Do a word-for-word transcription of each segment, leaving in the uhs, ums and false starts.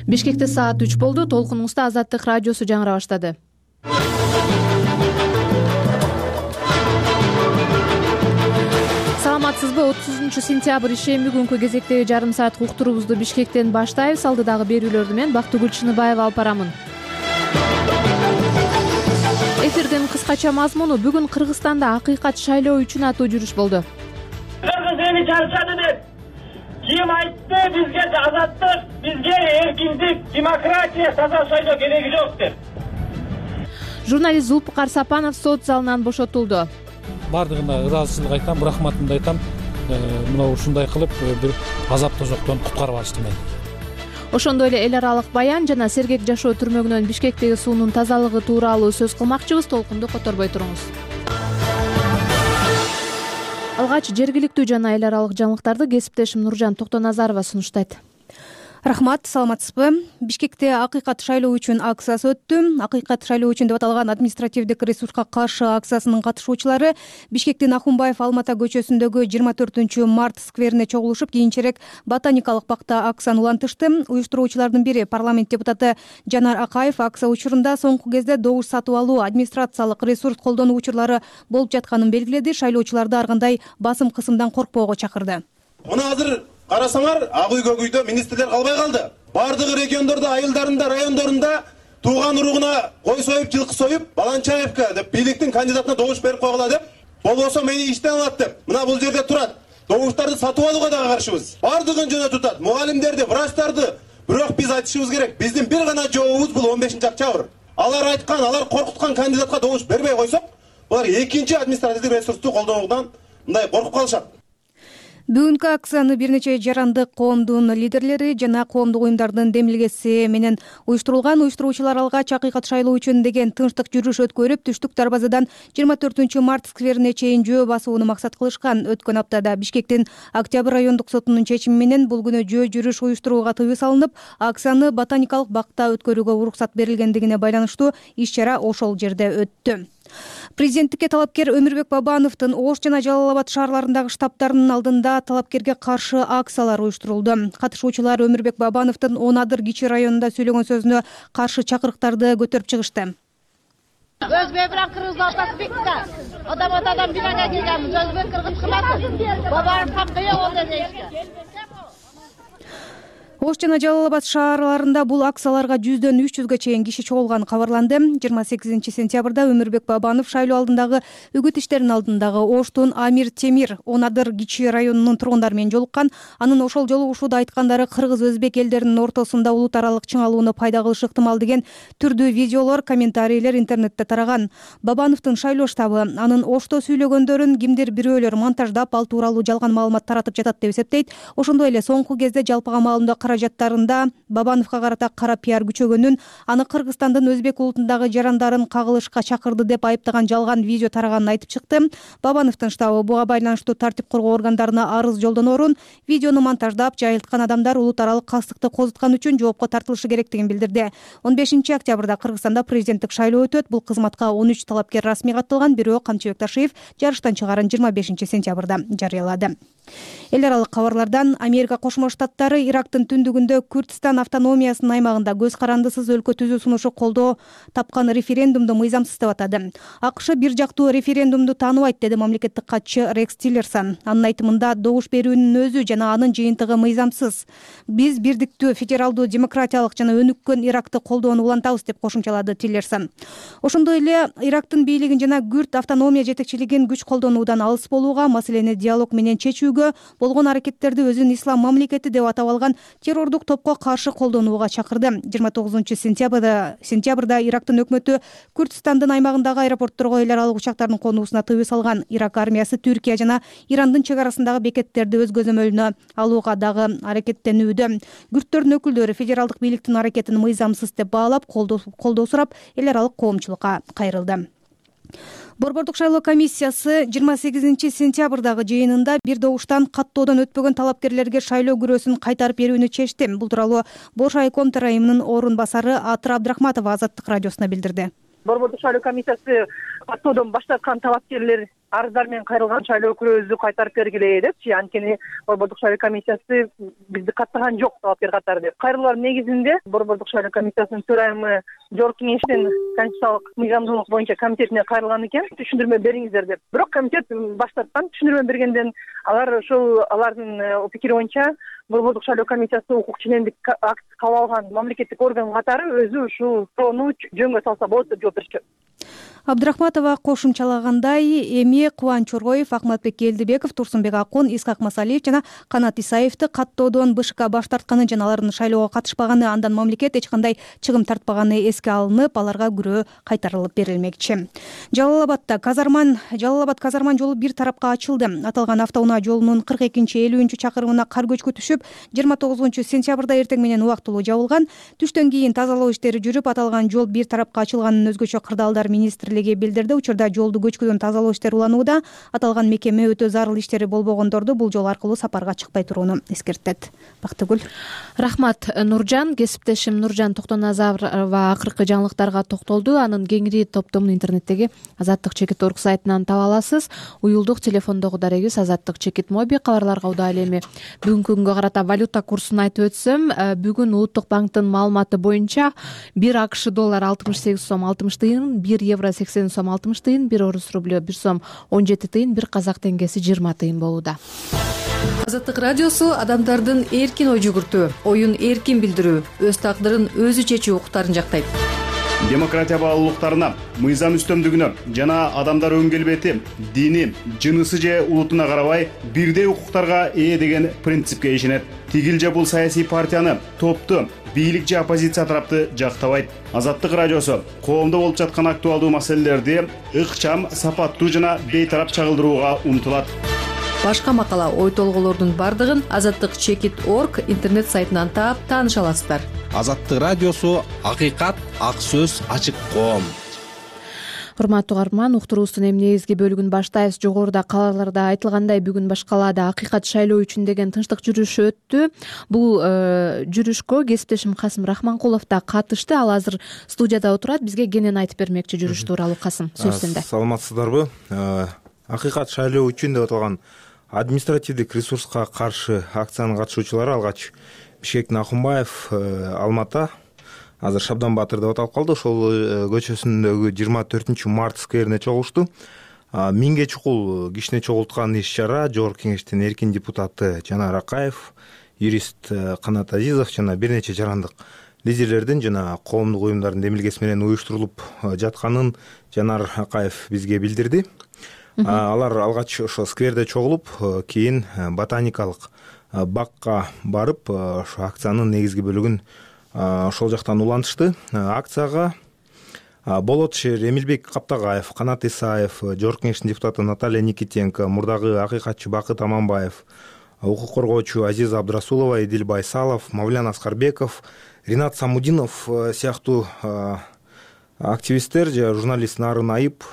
Бишкекте саат үч болду. Толкунуңузда Азаттык радиосу жаңыра баштады. Саламатсызбы? отузунчу сентябрь ишемби күнкү кезектеги жарым саат уктуруубузду Бишкектен баштайбыз. Алдыдагы берүүлөрдү мен Бактыгүл Чыныбаева алып барамын. Эфирдин кыскача мазмуну: бүгүн Кыргызстанда акыйкат шайлоо үчүн аттуу жүрүш болду. Кыргыз эли чарчады деп ким айтты бизге азаттык, бизге эркиндик, демократия, таза шайлоо кереги жок деп. Журналист Зулпукар Сапанов сот залынан бошотулду. Бардыгына ыраазычылык айтам, рахматымды айтам. Мына ушундай кылып бир азап тозоктон куткарып алышты мени. Ошондой эле эл аралык баян жана сергек жашоо түрмөгүнөн Бишкектеги суунун тазалыгы тууралуу сөз кылмакчыбыз. Толкунду которбой туруңуз. Алгач жергиликтүү жана эл аралык жаңылыктарды кесиптешим Нуржан Токтоназарова сунуштайт. Рахмат, саламатсызбы? Бишкекте акыйкат шайлоо үчүн акциясы өттү. Акыйкат шайлоо үчүн деп аталган административдик ресурска каршы акциясынын катышуучулары Бишкектин Ахунбаев Алмата көчөсүндөгү жыйырма төртүнчү март скверине чогулушуп, кийинчерээк ботаникалык бакта акцияны улантышты. Уюштуруучулардын бири парламент депутаты Жанар Акаев акция учурунда соңку кезде добуш сатып алуу, администрациялык ресурс колдонуу учурлары болуп жатканын белгиледи. Шайлоочуларды ар кандай басым кысымдан коркпоого чакырды. Мына азыр карасаңар, ак үй көк үйдө министрлер калбай калды. Бардыгы региондордо, айылдарында, райондорунда тууган уругуна кой союп, жылкы союп, Баланчаевка деп бийликтин кандидатына добуш берип койгула деп, болбосо мени иштен алат деп. Мына бул жерде турат. Добуштарды сатып алууга дагы каршыбыз. Бардыгын жөнө тутат. Мугалимдерди, врачтарды. Бирок биз айтышыбыз керек. Биздин бир гана жообубуз бул он бешинчи октябрь. Алар айткан, алар коркуткан кандидатка добуш бербей койсок, булар экинчи административдик ресурсту колдонуудан мындай коркуп калышат. Бүгүнкү акцияны бир нече жарандык коомдун лидерлери жана коомдук уюмдардын демилгеси менен уюштурулган. Уюштуруучулар алгач акыйкат шайлоо үчүн деген тынчтык жүрүш өткөрүп, түштүк дарбазадан жыйырма төртүнчү март скверине чейин жөө басууну максат кылышкан. Өткөн аптада Бишкектин Октябрь райондук сотунун чечими менен бул күнү жөө жүрүш уюштурууга тыюу салынып, акцияны ботаникалык бакта өткөрүүгө уруксат берилгендигине байланыштуу иш-чара ошол жерде өттү. Президенттикке талапкер Өмүрбек Бабановдун Ош жана Жалал Абад шаарларындагы штабтарынын алдында талапкерге каршы акциялар уюштурулду. Катышуучулар Өмүрбек Бабановдун Онадыр кичи районунда сөйлөгөн сөзүнө каршы чакырыктарды көтөрүп чыгышты. Өзбек менен кыргыздын ортасы бекте. Адам атадан бирага келгенбиз. Өзбек кыргыз кылмасын. Бабанов капкая болду дейишти. Ош жана Жалал Абад шаарларында бул акцияларга жүздөн үч жүзгө чейин киши чогулганы кабарланды. жыйырма сегизинчи сентябрда Өмүрбек Бабанов шайлоо алдындагы үгүт иштеринин алдындагы Оштун Амир Темир Онадыр кичи районунун тургундары менен жолуккан. Анын ошол жолугушууда айткандары кыргыз-өзбек элдеринин ортосунда улут аралык чыңалууну пайда кылышы ыктымал деген түрдүү видеолор, комментарийлер интернетте тараган. Бабановдун шайлоо штабы анын Ошто сүйлөгөндөрүн кимдир бирөөлөр монтаждап, ал тууралуу жалган маалымат таратып жатат деп эсептейт. Ошондой эле соңку кезде жалпыга маалымдоо каражаттарында Бабановго карата кара пиар күчөгөнүн, аны Кыргызстандын өзбек улутундагы жарандарын кагылышка чакырды деп айыптаган жалган видео тараганын айтып чыкты. Бабановдун штабы буга байланыштуу тартип коргоо органдарына арыз жолдоноо орун видеону монтаждап жайылткан адамдар улут аралык кастыкты козуткан үчүн жоопко тартылышы керектигин билдирди. он бешинчи октябрда Кыргызстанда президенттик шайлоо өтөт. Бул кызматка он үч талапкер расмий катталган, бирөө Камчыбек Ташиев жарыштан чыгарын жыйырма бешинчи сентябрда жарыялады. Эл аралык кабарлардан: Америка Кошмо Штаттары Ирактын түндүгүндө Күрдистан автономиясынын аймагында көз карандысыз өлкө түзүү сунушу колдоо тапкан референдумду мыйзамсыз деп атады. АКШ бир жактуу референдумду тааныбайт, деди мамлекеттик катчы Рекс Тиллерсон. Анын айтымында добуш берүүнүн өзү жана анын жыйынтыгы мыйзамсыз. Биз бирдиктүү, федералдуу, демократиялык жана өнүккөн Иракты колдоону улантабыз, деп кошумчалады Тиллерсон. Ошондой эле Ирактын бийлигин жана Күрд автономия жетекчилигин күч колдонуудан алыс болууга, маселени диалог менен чечүүгө, болгон аракеттерди өзүн ислам мамлекети деп атап алган террордук топко каршы колдонууга чакырды. жыйырма тогузунчу сентябрда сентябрда Ирактын өкмөтү Күрдистандын аймагындагы аэропортторго эл аралык учактардын конуусуна тыюу салган. Ирак армиясы Түркия жана Ирандын чек арасындагы бекеттерди өз көзөмөлүнө алууга дагы аракеттенүүдө. Күрдтөрдүн өкүлдөрү федералдык бийликтин аракетин мыйзамсыз деп баалап, колдоо сурап, эл аралык коомчулукка кайрылды. Борбордук шайлоо комиссиясы жыйырма сегизинчи сентябрдагы жыйынында бир добуштан каттоодон өтпөгөн талапкерлерге шайлоо күрөөсүн кайтарып берүүнү чечти. Бул тууралуу Бош айком төрайымынын орун басары Атыр Абдрахматова Азаттык радиосуна билдирди. Борбордук шайлоо комиссиясы каттоодон баш тарткан талапкерлер арыздар менен кайрылган шайлоо өкүлүбүздү кайтарып бергиле депчи, анткени Борбордук шайлоо комиссиясы бизди каттаган жок талапкер катары деп. Кайрылуулар негизинде Борбордук шайлоо комиссиясынын төрайымы Жогорку кеңештин Конституциялык мыйзамдуулук боюнча комитетине кайрылган экен, түшүндүрмө бериңиздер деп. Бирок комитет баш тарткан. Түшүндүрмө бергенден алар ошол алардын пикири боюнча Борбордук шайлоо комиссиясы укук ченемдик акт кабыл алган мамлекеттик орган катары өзү ушул суроону жөнгө салса болот деп жооп беришкен. Абдрахматова кошумчалагандай, эми Кубанч Чоргоев, Акматбек Келдибеков, Турсунбек Акун, Исхак Масалиев жана Канат Исаевди каттоодон БШК баш тартканы жана алардын шайлоого катышпаганы, андан мамлекет эч кандай чыгым тартпаганы эске алынып, аларга күрөө кайтарылып берилмекчи. Жалал-Абадда казарман Жалал-Абад казарман жолу бир тарапка ачылды. Аталган автоунаа жолунун кырк экинчи элүүнчү чакырымына кар көчкү түшүп, жыйырма тогузунчу сентябрда эртең менен убактылуу жабылган. Түштөн кийин тазалоо иштери жүрүп, аталган жол бир тарапка ачылганын өзгөчө кырдаалдар министрлиги билдирди. Учурда жолду көчкүдөн тазалоо иштери уланууда. Аталган мекеме өтө зарыл иштери болбогондорду бул жол аркылуу сапарга чыкпай турууну эскертет. Бактыгүл. Рахмат, Нуржан. Кесиптешим Нуржан Токтоназарова акыркы жаңылыктарга токтолду. Анын кеңири топтомун интернеттеги Азаттык чекит точка орг сайтынан таба аласыз. Уюлдук телефондогу дарегибиз Азаттык чекит моби. Кабарларга удаал эми бүгүнкү күнгө карата валюта курсун айтып өтсөм, бүгүн Улуттук банктын маалыматы боюнча бир АКШ доллар алтымыш сегиз сом алтымыш тыйын, бир евро сексен сом алтымыш тыйын, бир орус рублю бир сом он жети тыйын, бир казак теңгеси жыйырма тыйын болууда. Азаттык радиосу адамдардын эркин ой жүгүртүү, оюн эркин билдирүү, өз тагдырын өзү чечүү укуктарын жактайт. Демократия баалуулуктарына, мыйзам үстөмдүгүнө жана адамдар өн келбети, дини, жынысы же улутуна карабай бирдей укуктарга ээ деген принципке ишенет. Тигил же бул саясий партияны, топту, бийлик же оппозиция тарапты жактабайт. Азаттык радиосу коомдо болуп жаткан актуалдуу маселелерди ыкчам, сапаттуу жана бейтарап чагылдырууга умтулат. Башка макала, ой толголордун бардыгын азаттык чекит точка орг интернет сайтынан таап тааныша аласыздар. Азаттык радиосу акыйкат, ак сөз, ачык коом. Урматтуу угарман, уктуруубуздун эми негизги бөлүгүн баштайбыз. Жогоруда кабарларда айтылгандай, бүгүн баш калаада акыйкат шайлоо үчүн деген тынчтык жүрүшү өттү. Бул жүрүшкө кесиптешим Касым Рахманкулов да катышты. Ал азыр студияда отурат, бизге кенен айтып бермекчи жүрүш тууралуу. Касым, сөз сенде. Саламатсыздарбы? Акыйкат шайлоо үчүн деп аталган административдик ресурска каршы акциянын катышуучулары алгач Бишкектин Акунбаев, Алмата, азыр Шабдан Батыр деп аталып калды. Ошол көчөсүндөгү жыйырма төртүнчү март скверине чогулушту. Миңге чукул кишине чогулткан иш-чара Жогорку кеңештин эркин депутаты Жанар Акаев, юрист Канат Азизов жана бир нече жарандык лидерлердин жана коомдук уюмдардын демилгеси менен уюштурулуп жатканын Жанар Акаев бизге билдирди. Алар алгач ошо скверде чогулуп, кийин ботаникалык бакка барып, ошо акциянын негизги бөлүгүн ошол жактан улантышты. Акцияга Болотшер Эмилбек Каптагаев, Канат Исаев, Жогорку кеңештин депутаты Наталья Никитенко, мурдагы акыйкатчы Бакыт Аманбаев, укук коргоочу Азиза Абдрасулова, Эдил Байсалов, Мавлян Аскарбеков, Ринат Самудинов сыяктуу активисттер же журналист Нарын Айып,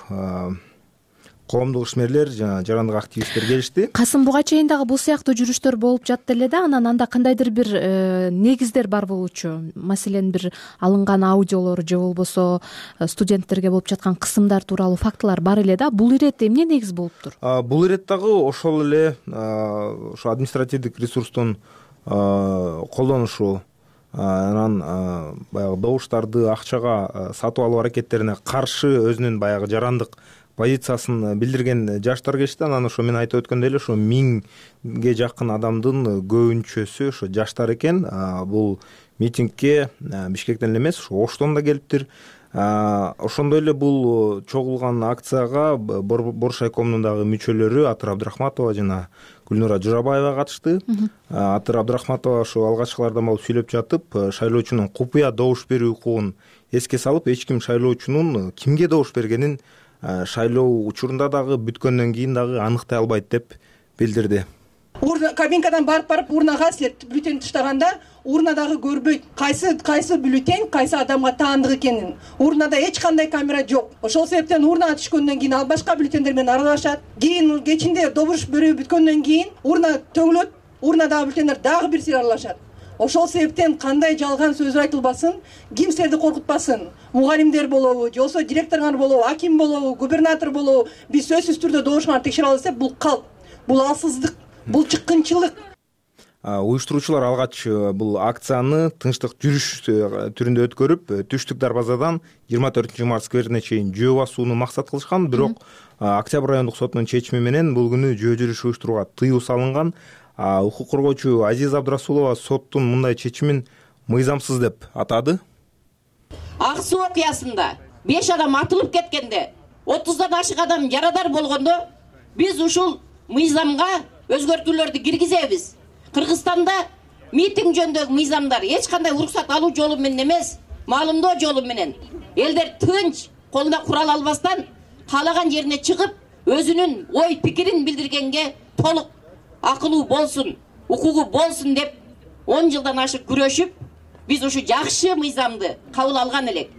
коомдук ишмерлер жана жарандык активисттер келишти. Касым, буга чейин дагы бул сыяктуу жүрүштөр болуп жатты эле да, анан анда кандайдыр бир негиздер бар болчу. Маселен, бир алынган аудиолор же болбосо студенттерге болуп жаткан кысымдар тууралуу фактылар бар эле да. Бул ирет эмне негиз болуптур? Бул ирет дагы ошол эле ошо административдик ресурстун колдонушу, анан баягы добуштарды акчага сатып алуу аракеттерине каршы өзүнүн баягы жарандык позициясын билдирген жаштар келишти. Анан ошо мен айтып өткөндөй эле ошо миңге жакын адамдын көбүнчөсү ошо жаштар экен. Бул митингге Бишкектен эле эмес, ошо Оштон да келиптир. Ошондой эле бул чогулган акцияга Борш айкомунун дагы мүчөлөрү Атыр Абдрахматова жана Гүлнура Журабаева катышты. Атыр Абдрахматова ошо алгачкылардан болуп сүйлөп жатып, шайлоочунун купуя добуш берүү укугун эске салып, эч ким шайлоочунун кимге добуш бергенин шайлоо учурунда дагы бүткөндөн кийин дагы аныктай албайт деп билдирди. Урна кабинкадан барып барып урнага силер бюллетень таштаганда урнадагы көрбөйт кайсы кайсы бюллетень кайсы адамга таандык экенин. Урнада эч кандай камера жок. Ошол себептен урнага түшкөндөн кийин ал башка бюллетендер менен аралашат. Кийин кечинде добуш берүү бүткөндөн кийин урна төңөлөт, урнадагы бюллетендер дагы бир сир аралашат. ошол себептен кандай жалган сөз айтылбасын, ким силерди коркутпасын, мугалимдер болобу же болбосо директоруңар болобу, аким болобу, губернатор болобу, биз сөзсүз түрдө добушуңарды текшере алабыз деп, бул калп, бул алсыздык, бул чыккынчылык. Уюштуруучулар алгач бул акцияны тынчтык жүрүш түрүндө өткөрүп, Түштүк дарбазадан жыйырма төртүнчү март скверине чейин жөө басууну максат кылышкан, бирок Октябрь райондук сотунун чечими менен бул күнү жөө жүрүш уюштурууга тыюу салынган. Укук коргоочу Азиза Абдрасулова соттун мындай чечимин мыйзамсыз деп атады. Ак суу окуясында беш адам атылып кеткенде, отуздан ашык адам жарадар болгондо биз ушул мыйзамга өзгөртүүлөрдү киргизебиз. Кыргызстанда митинг жөнүндөгү мыйзамдар эч кандай уруксат алуу жолу менен эмес, маалымдоо жолу менен элдер тынч колуна курал албастан каалаган жерине чыгып, өзүнүн ой пикирин билдиргенге толук акылуу болсун, укугу болсун деп он жылдан ашык күрөшүп, биз ушу жакшы мыйзамды кабыл алган элек.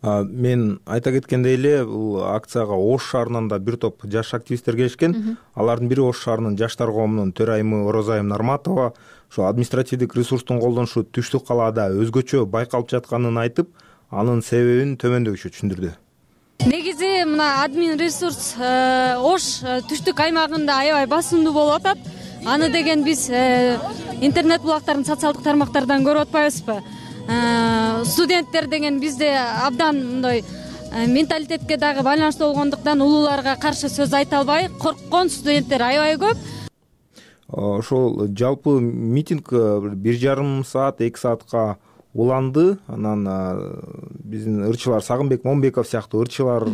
Мен айта кеткендей эле, бул акцияга Ош шаарынан да бир топ жаш активисттер келишкен. Алардын бири Ош шаарынын жаштар коомунун төрайымы Орозайым Нарматова ошо административдик ресурстун колдонушу Түштүк калаада өзгөчө байкалып жатканын айтып, анын себебин төмөндөгүчө түшүндүрдү. Негизи мына админ ресурс Ош Түштүк аймагында аябай басымдуу болуп атат. Аны деген биз интернет булактарын социалдык тармактардан көрүп атпайбызбы? Студенттер деген бизде абдан мындай менталитетке дагы байланыштуу болгондуктан улууларга каршы сөз айта албай корккон студенттер аябай көп. Ошол жалпы митинг бир жарым саат, эки саатка уланды. Анан биздин ырчылар Сагынбек Момбеков сыяктуу ырчылар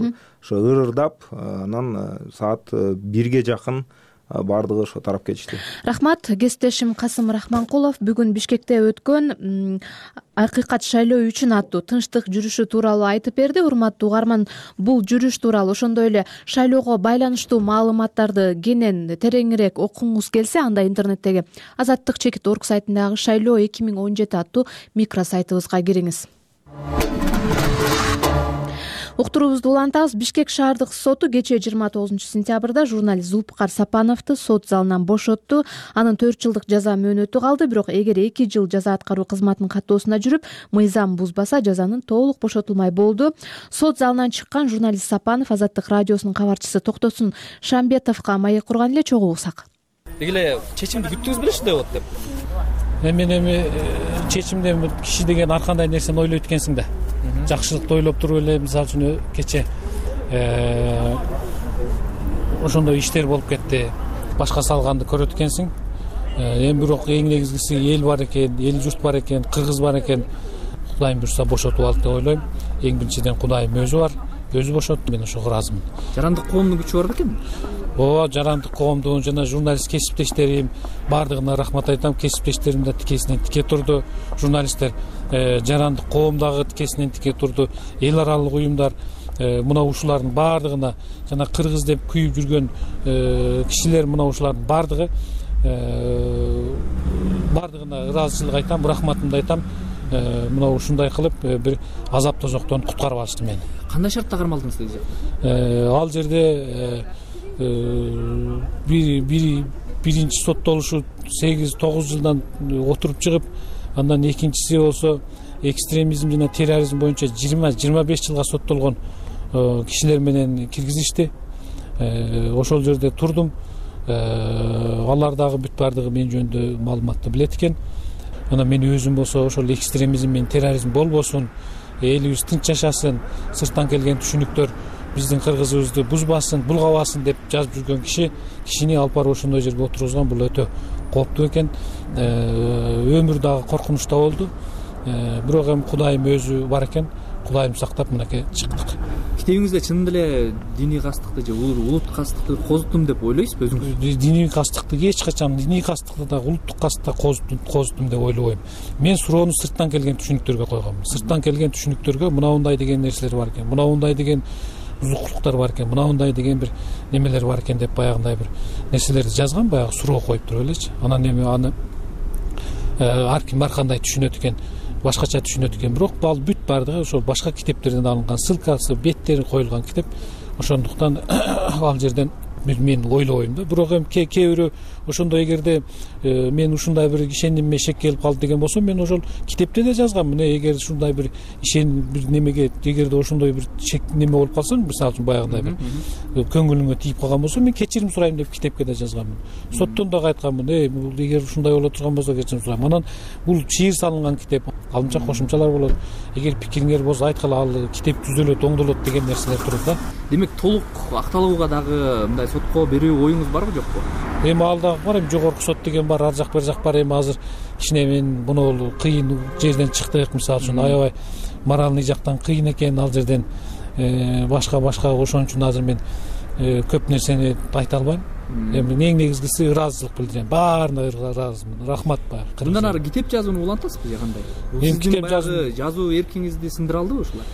ошо ырырдап, анан саат бирге жакын бардыгы ошо тарап кетишти. Рахмат. Кесиптешим Касым Рахманкулов бүгүн Бишкекте өткөн акыйкат шайлоо үчүн аттуу тынчтык жүрүшү тууралуу айтып берди. Урматтуу угарман, бул жүрүш тууралуу ошондой эле шайлоого байланыштуу маалыматтарды кенен тереңирээк окугуңуз келсе, анда интернеттеги Азаттык чекит орг сайтындагы шайлоо эки миң он жети аттуу микросайтыбызга кириңиз. Уктуруубузду улантабыз. Бишкек шаардык соту кечээ жыйырма тогузунчу сентябрда журналист Зулпукар Сапановду сот залынан бошотту. Анын төрт жылдык жаза мөөнөтү калды, бирок эгер эки жыл жаза аткаруу кызматынын каттоосуна жүрүп, мыйзам бузбаса, жазанын толук бошотулмай болду. Сот залынан чыккан журналист Сапанов Азаттык радиосунун кабарчысы Токтосун Шамбетовго маек курган эле чогуу угсак. Деги эле чечимди күттүңүз беле ушундай болот деп? Мен эми чечимде киши деген ар кандай нерсени ойлойт экенсиң да. Жакшылыкты ойлоп туруп эле, мисалы үчүн кечээ ошондой иштер болуп кетти, башка салганды көрөт экенсиң. Эми бирок эң негизгиси эл бар экен, эл журт бар экен, кыргыз бар экен. Кудайым буйрса бошотуп алды деп ойлойм. Эң биринчиден Кудайым өзү бар, өзү бошотту, мен ошого ыраазымын. Жарандык коомдун күчү бар бекен? Ооба, жарандык коомдун жана журналист кесиптештерим баардыгына рахмат айтам. Кесиптештерим да тикесинен тике турду. Журналисттер жарандык коом дагы тикесинен тике турду. Эл аралык уюмдар мына ушулардын баардыгына жана кыргыз деп күйүп жүргөн кишилер мына ушулардын баардыгы баардыгына ыраазычылык айтам, рахматымды айтам. Мына ушундай кылып бир азап тозоктон куткарып алышты мени. Кандай шартта кармалдыңыз деди? Ал жерде биринчи соттолушу сегиз тогуз жылдан отуруп чыгып, андан экинчиси болсо экстремизм жана терроризм боюнча жыйырма жыйырма беш жылга соттолгон кишилер менен киргизишти. Ошол жерде турдум. Алар дагы бүт баардыгы мен жөнүндө маалыматты билет экен. Анан мен өзүм болсо ошол экстремизм менен терроризм болбосун, элибиз тынч жашасын, сырттан келген түшүнүктөр биздин кыргызыбызды бузбасын, булгабасын деп жазып жүргөн киши кишини алып барып ошондой жерге отургузган. Бул өтө кооптуу экен. Өмүр дагы коркунучта болду. Бирок эми Кудайым өзү бар экен. Кудайым сактап мынакей чыктык. Китебиңизде чынында эле диний кастыкты же улут кастыкты козуттум деп ойлойсузбу өзүңүз? Диний кастыкты эч качан, диний кастыкты да улуттук кастыкты козуттум деп ойлобойм. Мен суроону сырттан келген түшүнүктөргө койгом. Сырттан келген түшүнүктөргө мынандай деген нерселер бар экен, мынандай деген бузукулуктар бар экен, мынандай деген бир немелер бар экен деп баягындай бир нерселерди жазган, баягы суроо коюп туруп элечи. Анан эми аны ар ким ар кандай түшүнөт экен, башкача түшүнөт экен. Бирок ал бүт баардыгы ошол башка китептерден алынган, ссылкасы, беттери коюлган китеп. Ошондуктан ал жерден мен ойлобойм да. Бирок эми кээ бирөө ошондой эгерде мен ушундай бир ишенимме шек келип калды деген болсо, мен ошол китепте да жазганмын. Эгер ушундай бир ишен бир немеге, эгерде ошондой бир шек неме болуп калса, мисалы үчүн баягындай бир көңүлүңө тийип калган болсо, мен кечирим сурайм деп китепке да жазганмын. Соттон дагы айтканмын, э бул эгер ушундай боло турган болсо кечирим сурайм. Анан бул шиир салынган китеп, алдымча кошумчалар болот. Эгер пикириңер болсо айткыла, ал китеп түзөлөт, оңдолот деген нерселер турат да. Демек толук акталууга дагы мындай сотко берүү оюңуз барбы, жокпу? Эми ал дагы бар, эми жогорку сот деген бар, ар жак бер жак бар. Эми азыр кичине мен буну кыйын жерден чыктык, мисалы үчүн аябай моральный жактан кыйын экен ал жерден, башка башка ошон үчүн азыр мен көп нерсени айта албайм. Эми эң негизгиси ыраазычылык билдирем, баарына ыраазымын. Рахмат баар. Мындан ары китеп жазууну улантасызбы же кандай? Эми китеп жазуу жазуу эркиңизди сындыра алдыбы ушулар?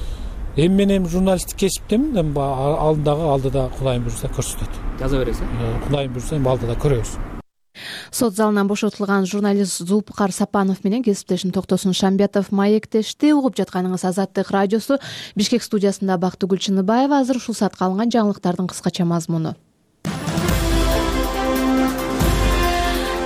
Эми мен эми журналисттик кесиптемин, эми алдындагы алдыда Кудайым буйрса көрсөтөт. Жаза бересиз? Кудайым буйрса эми алдыда көрөбүз. Сот залынан бошотулган журналист Зулпукар Сапанов менен кесиптешим Токтосун Шамбетов маектешти. Угуп жатканыңыз Азаттык радиосу. Бишкек студиясында Бактыгүл Чыныбаева. Азыр ушул саатка алынган жаңылыктардын кыскача мазмуну.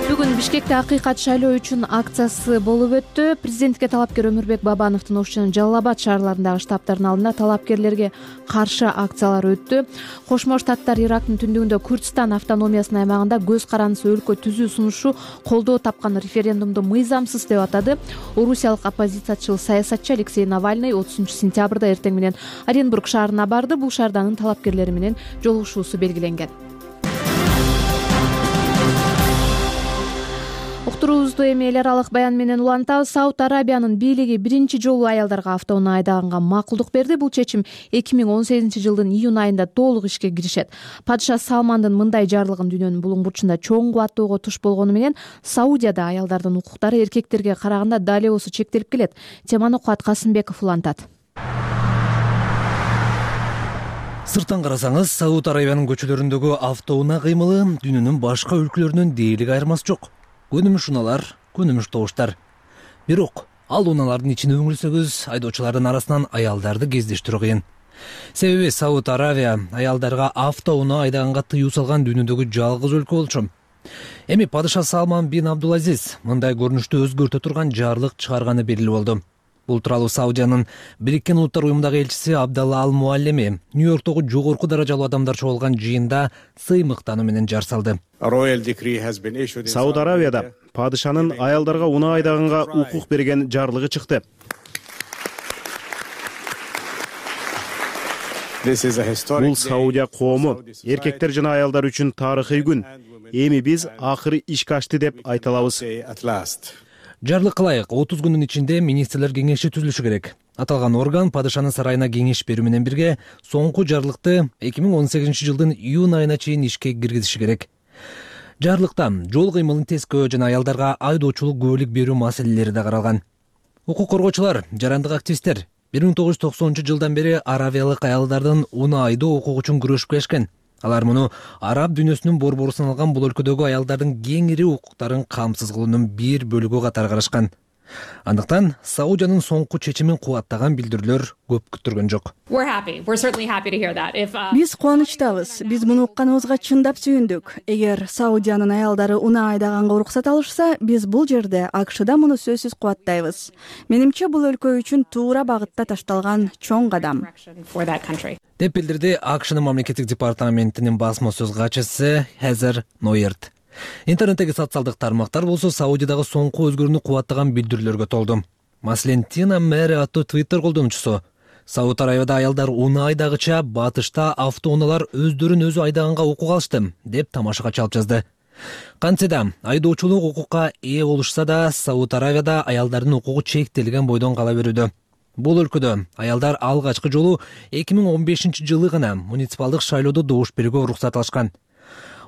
Бүгүн Бишкекте акыйкат шайлоо үчүн акциясы болуп өттү. Президентке талапкер Өмүрбек Бабановдун Ош жана Жалал Абад шаарларындагы штабтардын алдында талапкерлерге каршы акциялар өттү. Кошмо Штаттар Ирактын түндүгүндө Күрдстан автономиясынын аймагында көз карандысыз өлкө түзүү сунушу колдоо тапкан референдумду мыйзамсыз деп атады. Орусиялык оппозициячыл саясатчы Алексей Навальный отузунчу сентябрда эртең менен Оренбург шаарына барды. Бул шаарда анын талапкерлери менен жолугушуусу белгиленген. Уктуруубузду эми эл аралык баян менен улантабыз. Сауд Арабиянын бийлиги биринчи жолу аялдарга автоунаа айдаганга макулдук берди. Бул чечим эки миң он сегизинчи жылдын июнь айында толук ишке киришет. Падыша Салмандын мындай жарлыгын дүйнөнүн булуң бурчунда чоң кубаттоого туш болгону менен Саудияда аялдардын укуктары эркектерге караганда да эле болсо чектелип келет. Теманы Куат Касымбеков улантат. Сырттан карасаңыз, Сауд Арабиянын көчөлөрүндөгү автоунаа кыймылы дүйнөнүн башка өлкөлөрүнөн дээрлик айырмасы жок. Көнүмүш унаалар, көнүмүш добуштар. Бирок ал унаалардын ичине үңүлсөгүз, айдоочулардын арасынан аялдарды кездештирүү кыйын. Себеби Сауд Арабия аялдарга автоунаа айдаганга тыюу салган дүйнөдөгү жалгыз өлкө болчу. Эми падыша Салман бин Абдулазиз мындай көрүнүштү өзгөртө турган жарлык чыгарганы белгилүү болду. Бул тууралуу Саудиянын Бириккен Улуттар уюмундагы элчиси Абдалла Ал Муаллеми Нью-Йорктогу жогорку даражалуу адамдар чогулган жыйында сыймыктануу менен жар салды. Сауд Аравияда падышанын аялдарга унаа айдаганга укук берген жарлыгы чыкты. Бул Саудия коому, эркектер жана аялдар үчүн тарыхый күн. Эми биз акыры ишке ашты деп айта алабыз. Жарлык кылайык, отуз күндүн ичинде министрлер кеңеши түзүлүшү керек. Аталган орган падышанын сарайына кеңеш берүү менен бирге соңку жарлыкты эки миң он сегизинчи жылдын июнь айына чейин ишке киргизиши керек. Жарлыкта жол кыймылын тескөө жана аялдарга айдоочулук күбөлүк берүү маселелери да каралган. Укук коргоочулар, жарандык активисттер бир миң тогуз жүз токсонунчу жылдан бери аравиялык аялдардын унаа айдоо укугу үчүн күрөшүп келишкен. Алар муну араб дүйнөсүнүн борбору саналган бул өлкөдөгү аялдардын кеңири укуктарын камсыз кылуунун бир бөлүгү катары карашкан. Андыктан Саудиянын соңку чечимин кубаттаган билдирүүлөр көп күттүргөн жок. Биз кубанычтабыз. Биз муну укканыбызга чындап сүйүндүк. Эгер Саудиянын аялдары унаа айдаганга уруксат алышса, биз бул жерде АКШда муну сөзсүз кубаттайбыз. Менимче бул өлкө үчүн туура багытта ташталган чоң кадам. Деп билдирди АКШнын мамлекеттик департаментинин басма сөз катчысы Хезер Нойерт. Интернеттеги социалдык тармактар болсо Саудиядагы соңку өзгөрүүнү кубаттаган билдирүүлөргө толду. Маселен, Тина Мэри аттуу Twitter колдонуучусу Сауд Арабияда аялдар унаа айдагыча батышта автоунаалар өздөрүн өзү айдаганга укук алышты деп тамашага чалып жазды. Кантсе да айдоочулук укукка ээ болушса да, Сауд Арабияда аялдардын укугу чектелген бойдон кала берүүдө. Бул өлкөдө аялдар алгачкы жолу эки миң он бешинчи жылы гана муниципалдык шайлоодо добуш берүүгө уруксат алышкан.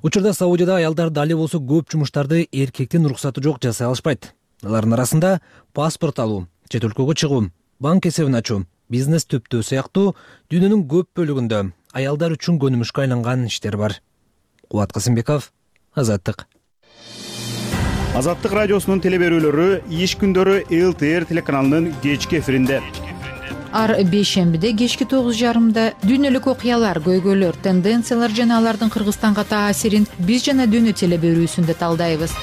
Учурда Саудияда аялдар дали болсо көп жумуштарды эркектин уруксаты жок жасай алышпайт. Алардын арасында паспорт алуу, чет өлкөгө чыгуу, банк эсебин ачуу, бизнес төптөө сыяктуу дүйнөнүн көп бөлүгүндө аялдар үчүн көнүмүшкө айланган иштер бар. Кубат Касымбеков, Азаттык. Азаттык радиосунун теле берүүлөрү иш күндөрү эл тэ эр телеканалынын кечки эфиринде. ар бейшембиде кечки тогуз жарымда дүйнөлүк окуялар, көйгөйлөр, тенденциялар жана алардын Кыргызстанга таасирин биз жана дүйнө телеберүүсүндө талдайбыз.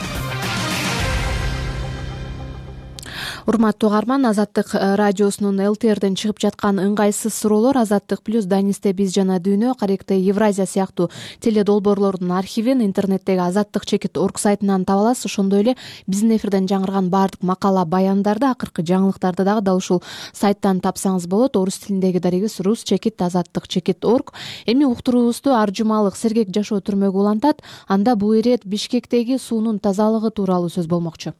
Урматтуу угарман, Азаттык радиосунун эл ти эрден чыгып жаткан ыңгайсыз суроолор Азаттык плюс, Данисте биз жана дүйнө, Каректе Евразия сыяктуу теле долбоорлордун архивин интернеттеги Азаттык чекит орг сайтынан таба аласыз. Ошондой эле биздин эфирден жаңырган баардык макала, баяндарды, акыркы жаңылыктарды дагы дал ушул сайттан тапсаңыз болот. Орус тилиндеги дарегибиз рус чекит азаттык чекит орг. Эми уктуруубузду ар жумалык сергек жашоо түрмөгү улантат. Анда бул ирет Бишкектеги суунун тазалыгы тууралуу сөз болмокчу.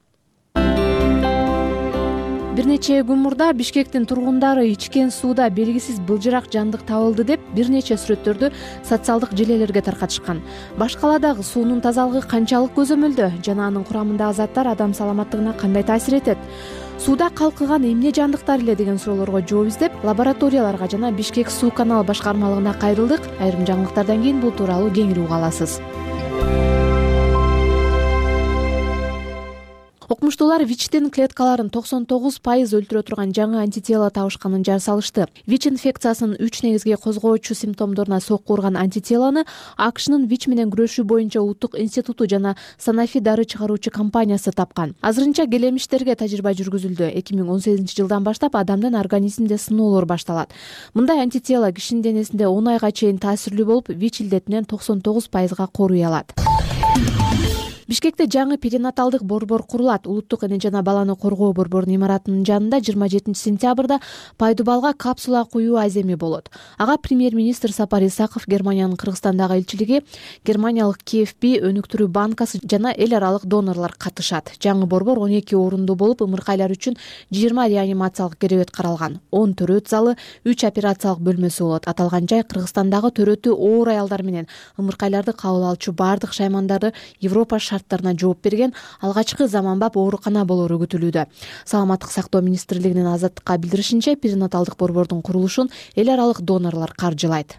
Бир нече күн мурда Бишкектин тургундары ичкен сууда белгисиз былжырак жандык табылды деп бир нече сүрөттөрдү социалдык желелерге таркатышкан. Баш каладагы суунун тазалыгы канчалык көзөмөлдө жана анын курамындагы заттар адам саламаттыгына кандай таасир этет? Сууда калкыган эмне жандыктар эле деген суроолорго жооп издеп, лабораторияларга жана Бишкек суу каналы башкармалыгына кайрылдык. Айрым жаңылыктардан кийин бул тууралуу кеңири уга аласыз. Окумуштуулар ВИЧтин клеткаларын токсон тогуз пайыз өлтүрө турган жаңы антитело табышканын жар салышты. ВИЧ инфекциясынын үч негизги козгоочу симптомдоруна сокку урган антителону АКШнын ВИЧ менен күрөшүү боюнча улуттук институту жана Sanofi дары чыгаруучу компаниясы тапкан. Азырынча келемиштерге тажрыйба жүргүзүлдү. эки миң он сегизинчи жылдан баштап адамдын организминде сыноолор башталат. Мындай антитело кишинин денесинде он айга чейин таасирлүү болуп, ВИЧ илдетинен токсон тогуз пайызга коруй алат. Бишкекте жаңы перинаталдык борбор курулат. Улуттук эне жана баланы коргоо борборунун имаратынын жанында жыйырма жетинчи сентябрда Пайдубалга капсула куюу аземи болот. Ага премьер-министр Сапар Исаков, Германиянын Кыргызстандагы элчилиги, германиялык КФП өнүктүрүү банкасы жана эл аралык донорлор катышат. Жаңы борбор он эки орундуу болуп, ымыркайлар үчүн жыйырма реанимациялык керебет каралган. он төрөт залы, үч операциялык бөлмөсү болот. Аталган жай Кыргызстандагы төрөтү оор аялдар менен ымыркайларды кабыл алчу баардык шаймандарды Европа шарттарына жооп берген алгачкы заманбап оорукана болору күтүлүүдө. Саламаттык сактоо министрлигинин Азаттыкка билдиришинче, перинаталдык борбордун курулушун эл аралык донорлор каржылайт.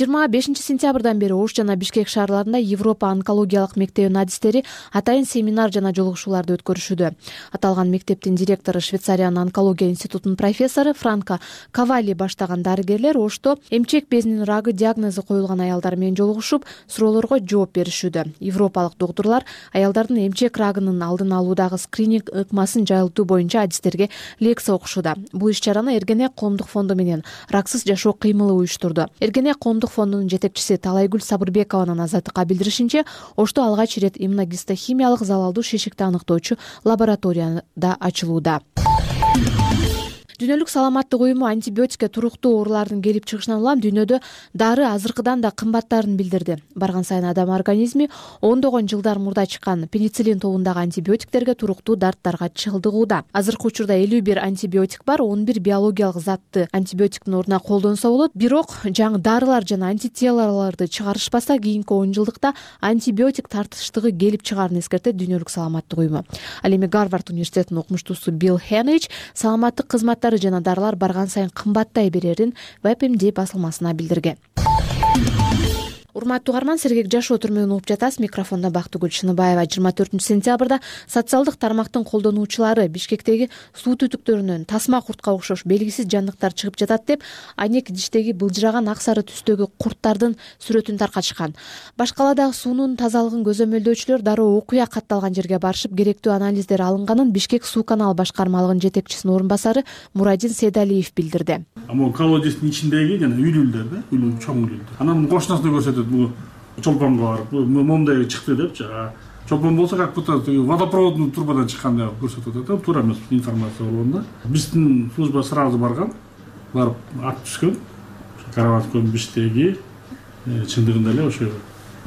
жыйырма бешинчи сентябрдан бери Ош жана Бишкек шаарларында Европа онкологиялык мектебинин адистери атайын семинар жана жолугушууларды өткөрүшүүдө. Аталган мектептин директору, Швейцариянын онкология институтунун профессору Франко Кавали баштаган дарыгерлер Ошто эмчек безинин рагы диагнозу коюлган аялдар менен жолугушуп, суроолорго жооп беришүүдө. Европалык доктурлар аялдардын эмчек рагынын алдын алуудагы скрининг ыкмасын жайылтуу боюнча адистерге лекция окушууда. Бул иш-чараны Эргене коомдук фонду менен Раксыз жашоо кыймылы уюштурду. Эргене коомдук фондунун жетекчиси Талайгүл Сабырбекованын Азаттыкка билдиришинче, Ошто алгач ирет иммуногистохимиялык залалдуу шишикти аныктоочу лабораторияда ачылууда. Дүйнөлүк саламаттык уюму антибиотикке туруктуу оорулардын келип чыгышынан улам дүйнөдө дары азыркыдан да кымбаттарын билдирди. Барган сайын адам организми ондогон жылдар мурда чыккан пенициллин тобундагы антибиотиктерге туруктуу дарттарга чалдыгууда. Азыркы учурда элүү бир антибиотик бар, он бир биологиялык затты антибиотиктин ордуна колдонсо болот. Бирок жаңы дарылар жана антителолорду чыгарышпаса, кийинки он жылдыкта антибиотик тартыштыгы келип чыгаарын эскертет Дүйнөлүк саламаттык уюму. Ал эми Гарвард университетинин окумуштуусу Билл Хенрич саламаттык кызматтар жана дарылар барган сайын кымбаттай берерин Веб эм ди басылмасына билдирген. Урматтуу угарман, сергек жашоо түрмөгүн угуп жатасыз. Микрофондо Бактыгүл Шыныбаева. жыйырма төртүнчү сентябрда социалдык тармактын колдонуучулары Бишкектеги суу түтүктөрүнөн тасма куртка окшош белгисиз жандыктар чыгып жатат деп айнек идиштеги былжыраган ак сары түстөгү курттардын сүрөтүн таркатышкан. Баш каладагы суунун тазалыгын көзөмөлдөөчүлөр дароо окуя катталган жерге барышып, керектүү анализдер алынганын Бишкек суу каналы башкармалыгынын жетекчисинин орун басары Мурадин Сейдалиев билдирди. Могу колодецдин ичиндеги жана үйлүүлдөр да, үйлүү чоң үйлүүлдөр. Анан кошунасына көрсөтөт, бул чолпонго барып, момундай чыкты деп, жана чолпон болсо как будто водопроводный трубадан чыккандай көрсөтөт да, туура эмес информация болгондо. Биздин служба сразу барган, барып ак түскөн, Карабаскон Биштеги чындыгында эле ошо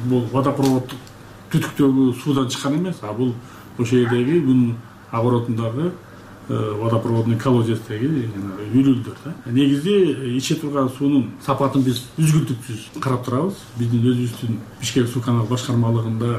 бул водопроводдук түтүктөгү суудан чыккан эмес, а бул ошол жердеги күн огородундагы водопроводный колодецтеги үйлүүлдөр да. Негизи иче турган суунун сапатын биз үзгүлтүксүз карап турабыз. Биздин өзүбүздүн Бишкек суу каналы башкармалыгында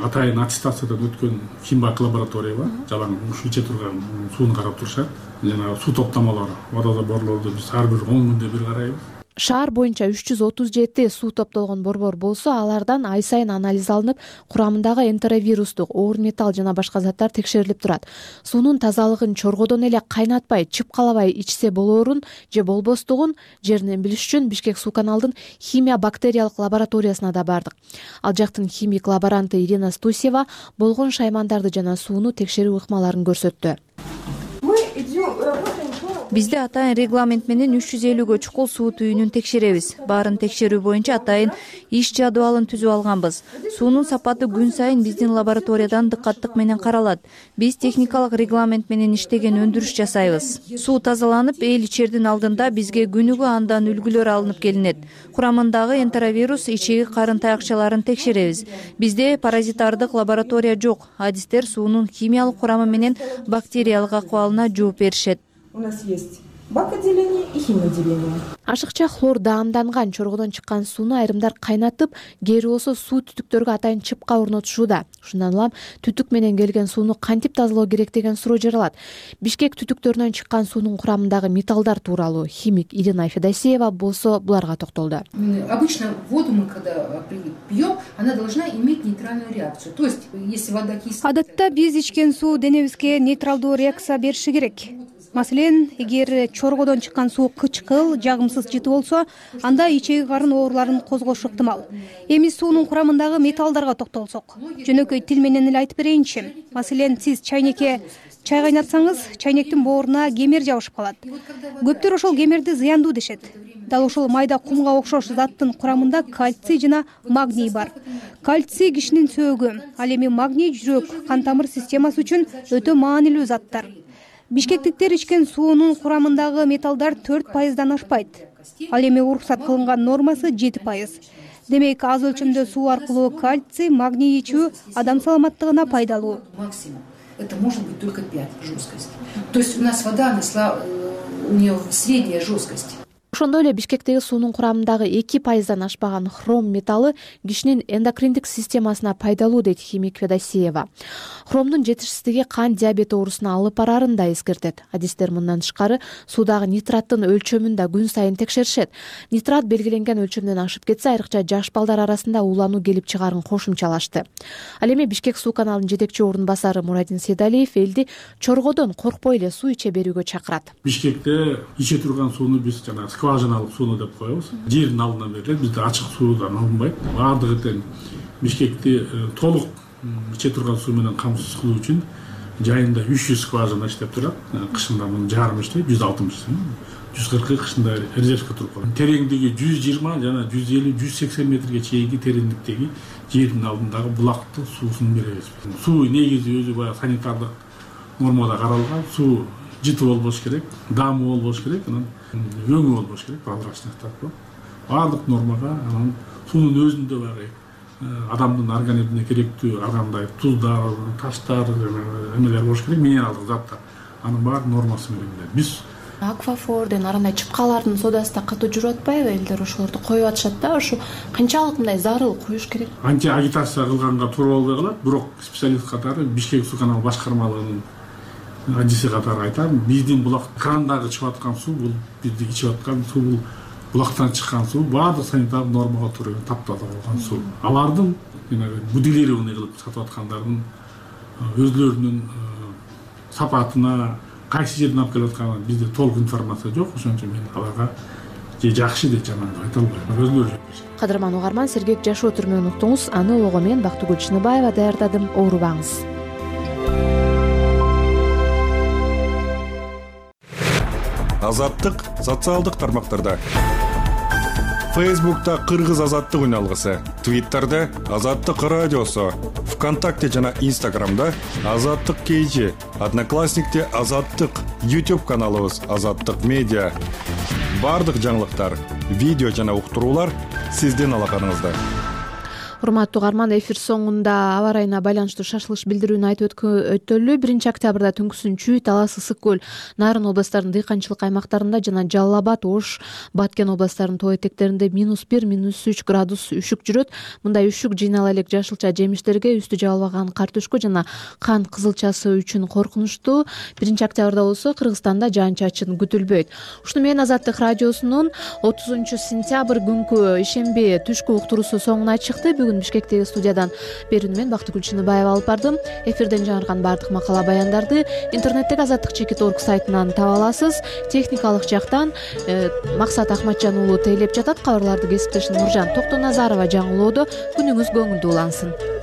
атайын аттестациядан өткөн химбак лаборатория бар. Жалаң ушу иче турган сууну карап турушат. Жана суу топтомолору, водозаборлорду биз ар бир он күндө бир карайбыз. Шаар боюнча үч жүз отуз жети суу топтолгон борбор болсо, алардан ай сайын анализ алынып, курамындагы энтеровирустук, оор металл жана башка заттар текшерилип турат. Суунун тазалыгын чоргодон эле кайнатпай, чыпкалабай ичсе болоорун же болбостугун жеринен билиш үчүн Бишкек суу каналдын химия бактериялык лабораториясына да бардык. Ал жактын химик лаборанты Ирина Стусева болгон шаймандарды жана сууну текшерүү ыкмаларын көрсөттү. Бизде атайын регламент менен үч жүз элүүгө чукул суу түйүнүн текшеребиз. Баарын текшерүү боюнча атайын иш жадыбалын түзүп алганбыз. Суунун сапаты күн сайын биздин лабораториядан дыккаттык менен каралат. Биз техникалык регламент менен иштеген өндүрүш жасайбыз. Суу тазаланып, эл ичердин алдында бизге күнүгө андан үлгүлөр алынып келинет. Курамындагы энтеровирус, ичеги карын таякчаларын текшеребиз. Бизде паразитардык лаборатория жок. Адистер суунун химиялык курамы менен бактериялык акыбалына жооп беришет. У нас есть бак-отделение и химотделение. Ашыкча хлор даамданган чоргодон чыккан сууну айрымдар кайнатып, кээри болсо суу түтүктөргө атайын чыпка орнотушууда. Ушундан улам түтүк менен келген сууну кантип тазалоо керек деген суроо жаралат. Бишкек түтүктөрүнөн чыккан суунун курамындагы металлдар тууралуу химик Ирина Федосеева болсо буларга токтолду. Обычно воду мы когда пьем, она должна иметь нейтральную реакцию. То есть, если вода кислая... Адатта биз ичкен суу денебизге нейтралдуу реакция бериши керек. Маселен, эгер чоргодон чыккан суу кычкыл, жагымсыз жыты болсо, анда ичеги карын ооруларын козгошу ыктымал. Эми суунун курамындагы металлдарга токтолсок, жөнөкөй тил менен эле айтып берейинчи. Маселен, сиз чайнекке чай кайнатсаңыз, чайнектин бооруна кемер жабышып калат. Көптөр ошол кемерди зыяндуу дешет. Дал ошол майда кумга окшош заттын курамында кальций жана магний бар. Кальций кишинин сөөгү, ал эми магний жүрөк, кан тамыр системасы үчүн өтө маанилүү заттар. Бишкектиктер ичкен суунун курамындагы металлдар төрт пайыздан ашпайт. Ал эми уруксат кылынган нормасы жети пайыз. Демек, аз өлчөмдө суу аркылуу кальций, магний ичүү адам саламаттыгына пайдалуу. Максимум. Это может быть только пять жесткости. То есть у нас вода, она, у нее средняя жесткость. Ошондой эле Бишкектеги суунун курамындагы эки пайыздан ашпаган хром металлы кишинин эндокриндик системасына пайдалуу, дейт химик Федосеева. Хромдун жетишсиздиги кан диабети оорусуна алып барарын да эскертет. Адистер мындан тышкары суудагы нитраттын өлчөмүн да күн сайын текшеришет. Нитрат белгиленген өлчөмдөн ашып кетсе, айрыкча жаш балдар арасында уулануу келип чыгаарын кошумчалашты. Ал эми Бишкек суу каналынын жетекчи орун басары Мурадин Сейдалиев элди чоргодон коркпой эле суу иче берүүгө чакырат. Бишкекте иче турган сууну биз жана скважиналык сууну деп коебуз. Жердин алдына берилет. Бизде ачык суудан алынбайт. Баардыгы тең Бишкекти толук иче турган суу менен камсыз кылуу үчүн жайында үч жүз скважина иштеп турат. Кышында мунун жарымы иштейт, жүз алтымыш, жүз кыркы кышында резервге туруп калат. Тереңдиги жүз жыйырма жана жүз элүү жүз сексен метрге чейинки тереңдиктеги жердин алдындагы булакты суусун беребиз. Суу негизи өзү баягы санитардык нормада каралган. Суу жыты болбош керек, даамы болбош керек, анан өңү болбош керек, прозрачность деп. Баардык нормага анан суунун өзүндө баягы адамдын организмине керектүү ар кандай туздар, таштар, эмелер болуш керек, минералдык заттар. Анын баары нормасы менен. Биз Аквафорден арандай чыпкалардын содасы да катуу жүрүп атпайбы? Элдер ошолорду коюп атышат да, ошо канчалык мындай зарыл коюш керек? Анча агитация кылганга туура болбой калат, бирок специалист катары Бишкек суу каналы башкармалыгынын адиси катары айтам, биздин булак крандагы чыгып аткан суу бул бизди ичип аткан суу, бул булактан чыккан суу баардык санитардык нормага туура таптаза болгон суу. Алардын будилированный кылып сатып аткандардын өзлөрүнүн сапатына, кайсы жерден алып келип атканы бизде толук информация жок. Ошон үчүн мен аларга же жакшы же жаман деп айта албайм. Өзлөрү жок. Кадырман угарман, сергек жашоо түрмөгүн уктуңуз. Аны улоого мен Бактыгүл Чыныбаева даярдадым. Оорубаңыз. Азаттык социалдык тармактарда. Фейсбукта Кыргыз азаттык үналгысы, Твиттерде Азаттык радиосу, ВКонтакте жана Инстаграмда Азаттык кейжи, Одноклассникте Азаттык, YouTube каналыбыз Азаттык медиа. Бардык жаңылыктар, видео жана уктуруулар сиздин алаканыңызда. урматтуу угарман, эфир соңунда аба ырайына байланыштуу шашылыш билдирүүнү айтып өтөлү. Биринчи октябрда түнкүсүн Чүй, Талас, Ысык көл, Нарын областарынын дыйканчылык аймактарында жана Жалал Абад, Ош, Баткен областарынын тоо этектеринде минус бир, минус үч градус үшүк жүрөт. Мындай үшүк жыйнала элек жашылча жемиштерге, үстү жабылбаган картөшкө жана кант кызылчасы үчүн коркунучтуу. Биринчи октябрда болсо Кыргызстанда жаан-чачын күтүлбөйт. Ушуну менен Азаттык радиосунун отузунчу сентябрь күнкү ишемби түшкү уктуруусу соңуна чыкты. Бүгүн Бишкектеги студиядан берүүнү мен Бактыгүл Чыныбаева алып бардым. Эфирден жаңырган баардык макала баяндарды интернеттеги азаттык чекит орг сайтынан таба аласыз. Техникалык жактан Максат Ахматжан уулу тейлеп жатат. Кабарларды кесиптешим Нуржан Токтоназарова жаңылоодо. Күнүңүз көңүлдүү улансын.